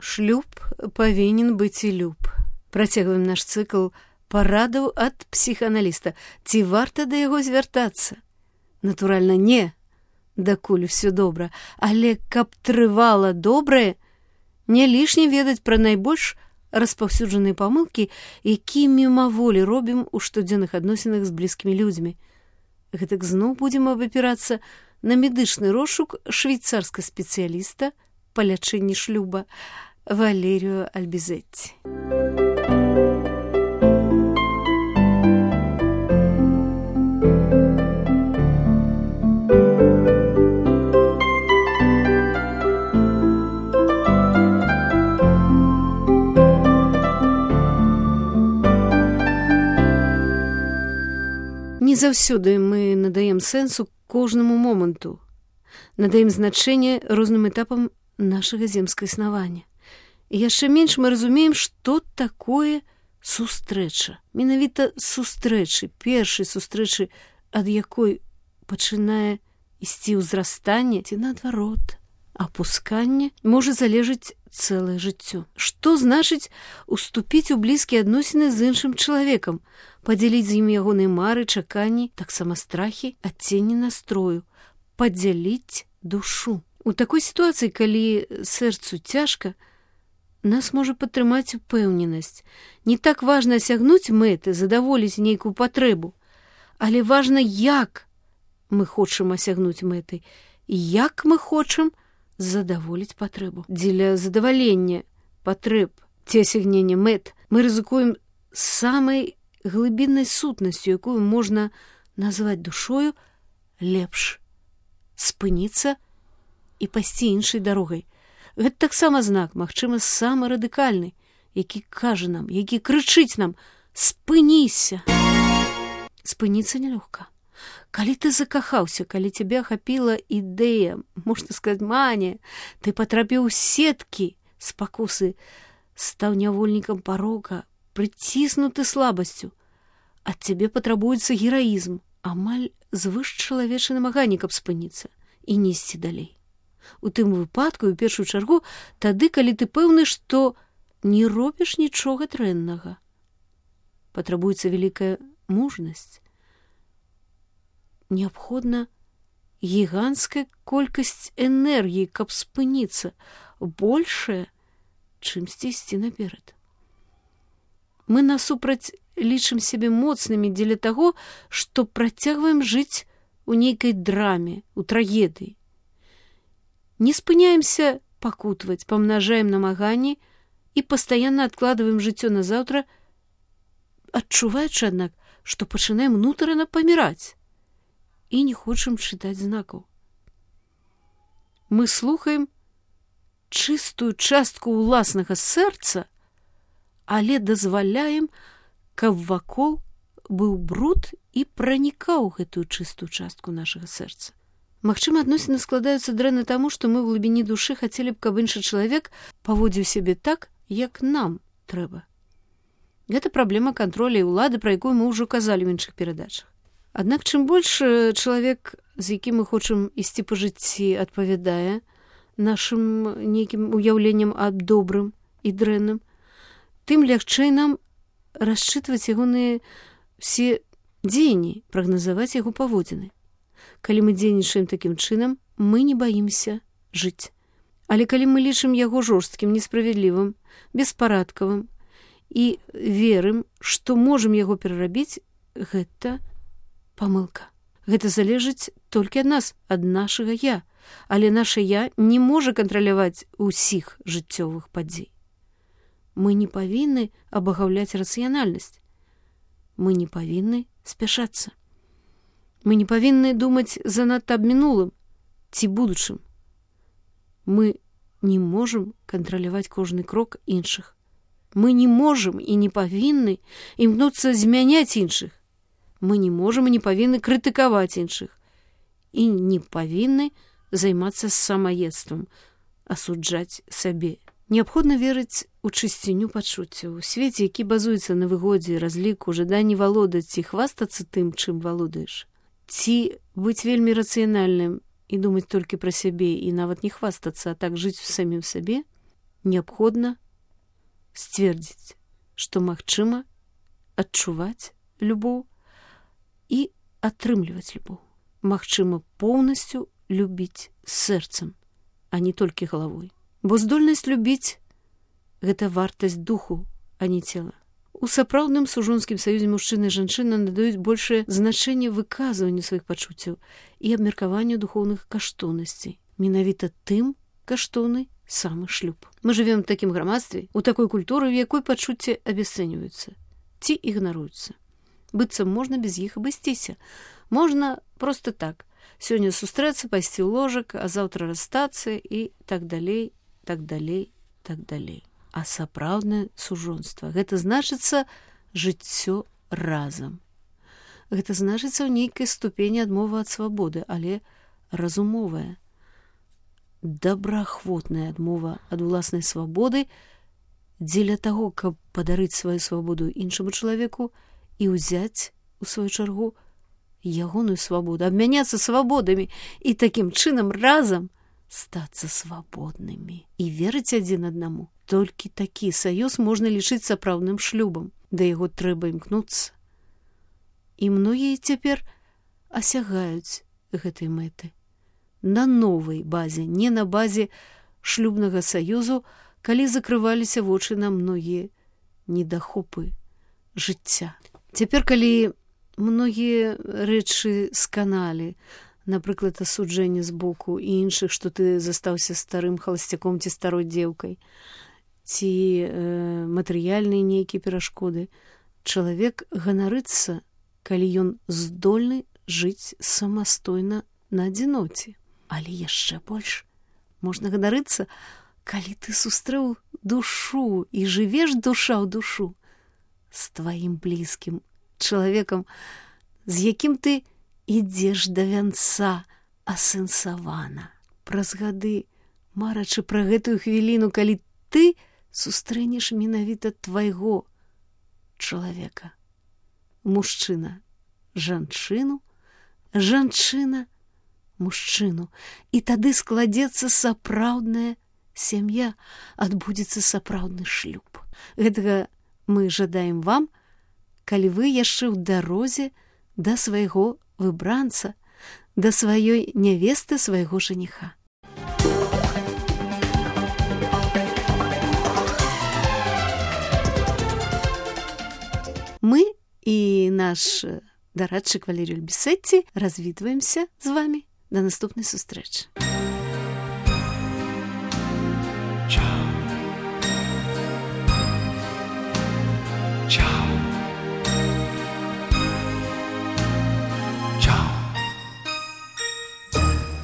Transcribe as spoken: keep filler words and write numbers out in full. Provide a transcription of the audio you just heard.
Шлюб павінен быць і люб. Працягваем наш цыкл парадаў ад псіхааналіста. Ці варта да яго звяртацца? Натуральна, не, дакуль усё добра, але каб трывала добрае, не лішне ведаць пра найбольш распаўсюджаныя памылкі, якія мімаволі робім у штодзённых адносінах з блізкімі людзьмі. Гэтак зноў будзем абапірацца на медычны розшук швейцарскага спецыяліста па лячэнні шлюба Валеріо Альбізетці. Не заўсёды мы надаем сэнсу кожнаму моманту, надаем значэнне розным этапам нашага земскага існавання. І яшчэ менш мы разумеем, што такое сустрэча. Менавіта сустрэчы, першай сустрэчы, ад якой пачынае ісці ўзрастанне, ці наадварот, апусканне, можа залежыць цэлае жыццё. Што значыць уступіць у блізкія адносіны з іншым чалавекам, падзяліць з ім ягоныя мары, чаканні, таксама страхі, адценні настрою, падзяліць душу. У такой сітуацыі, калі сэрцу цяжка, нас можа падтрымаць упэўненасць. Не так важна асягнуць мэты, задаволіць нейкую патрэбу, але важна, як мы хочам асягнуць мэты, і як мы хочам задаволіць патрэбу. Дзеля задавалення патрэб ці асягнення мэт мы рызыкуем самай глыбіннай сутнасцю, якую можна назваць душою, лепш спыніцца і пайсці іншай дарогай. Гэта таксама знак, магчыма, самы радыкальны, які кажа нам, які крычыць нам: спыніся. Спыніцца нелёгка. Калі ты закахаўся, калі цябе ахапіла ідэя, можна сказаць, манія, ты патрапіў у сеткі спакусы, стаў нявольнікам парока, прыціснуты слабасцю. Ад цябе патрабуецца гераізм, амаль звышчалавечае намаганне, каб спыніцца і не ісці далей. У тым выпадку, у першую чаргу, тады, калі ты пэўны, што не робіш нічога дрэннага. Патрабуецца вялікая мужнасць. Неабходна гіганцкая колькасць энергіі, каб спыніцца, большая, чымсьці ісці наперад. Мы насупраць лічым сябе моцнымі дзеля таго, што працягваем жыць у нейкай драме, у трагедыі. Не спыняемся пакутваць, памнажаем намаганні і пастаянна адкладваем жыццё на заўтра, адчуваючы, аднак, што пачынаем унутрана паміраць і не хочам чытаць знакаў. Мы слухаем чыстую частку ўласнага сэрца, але дазваляем, каб вакол быў бруд і пранікаў гэтую чыстую частку нашага сэрца. Магчыма, адносіны складаюцца дрэнна таму, што мы ў глыбіні душы хацелі б, каб іншы чалавек паводзіў сябе так, як нам трэба. Гэта праблема кантроля і ўлады, пра якую мы ўжо казалі ў іншых перадачах. Аднак, чым больш чалавек, з якім мы хочам ісці па жыцці, адпавядае нашым нейкім уяўленням аб добрым і дрэнным, тым лягчэй нам расчытваць ягоныя все дзеянні, прагназаваць яго паводзіны. Калі мы дзейнічаем такім чынам, мы не баімся жыць. Але калі мы лічым яго жорсткім, несправядлівым, беспарадкавым і верым, што можам яго перарабіць, гэта памылка. Гэта залежыць толькі ад нас, ад нашага я, але наша я не можа кантраляваць усіх жыццёвых падзей. Мы не павінны абагаўляць рацыянальнасць. Мы не павінны спяшацца. Мы не павінны думаць занадта аб мінулым ці будучым. Мы не можам кантраляваць кожны крок іншых. Мы не можам і не павінны імкнуцца змяняць іншых. Мы не можам і не павінны крытыкаваць іншых. І не павінны займацца самаедствам, асуджаць сабе. Неабходна верыць у чысціню пачуццяў. У свеце, які базуецца на выгодзе, разліку, жаданні валодаць ці хвастацца тым, чым валодаеш, ці быць вельмі рацыянальным і думаць толькі пра сябе і нават не хвастацца, а так жыць у самім сабе, неабходна сцвердзіць, што магчыма адчуваць любоў і атрымліваць любоў. Магчыма поўнасцю любіць сэрцам, а не толькі галавой. Бо здольнасць любіць – гэта вартасць духу, а не цела. У сапраўдным сужонскім саюзе мужчына і жанчына надаюць большае значэнне выказванню сваіх пачуццяў і абмеркаванню духоўных каштоўнасцей. Менавіта тым каштоўны самы шлюб. Мы жывем у такім грамадстве, у такой культуры, в якой пачуцці абясцэньваюцца ці ігнаруюцца. Быццам можна без іх абысціся. Можна проста так. Сёння сустрэцца, пайсці ў ложак, а заўтра расстацца і так далей, так далей, так далей. А сапраўднае сужонства – гэта значыцца жыццё разам. Гэта значыцца ў нейкай ступені адмова ад свабоды, але разумовая, добраахвотная адмова ад уласнай свабоды дзеля таго, каб падарыць сваю свабоду іншаму чалавеку і ўзяць, у сваю чаргу, ягоную свабоду, абмяняцца свабодамі і такім чынам разам стацца свабоднымі і верыць адзін аднаму. Толькі такі саюз можна лічыць сапраўдным шлюбам. Да яго трэба імкнуцца. І многія цяпер асягаюць гэтай мэты. На новай базе, не на базе шлюбнага саюзу, калі закрываліся вочы на многія недахопы жыцця. Цяпер, калі многія рэчы сканалі, напрыклад, асуджэнне з боку і іншых, што ты застаўся старым халасцяком ці старой дзеўкай, ці э, матэрыяльныя нейкія перашкоды, чалавек ганарыцца, калі ён здольны жыць самастойна на адзіноце. Але яшчэ больш можна ганарыцца, калі ты сустрэў душу і жывеш душа ў душу з тваім блізкім чалавекам, з якім ты ідзеш да вянца асэнсавана. Праз гады, марачы пра гэтую хвіліну, калі ты сустрэнеш менавіта твайго чалавека. Мужчына жанчыну, жанчына мужчыну. І тады складзецца сапраўдная сям'я, адбудзецца сапраўдны шлюб. Гэтага мы жадаем вам, калі вы яшчэ ў дарозе да свайго выбранца, да сваёй нявесты, свайго жаніха. Мы і наш дарадчык Валерій Ульбісетці развітваемся з вами. До наступнай сустрэчы. Ciao. Ciao.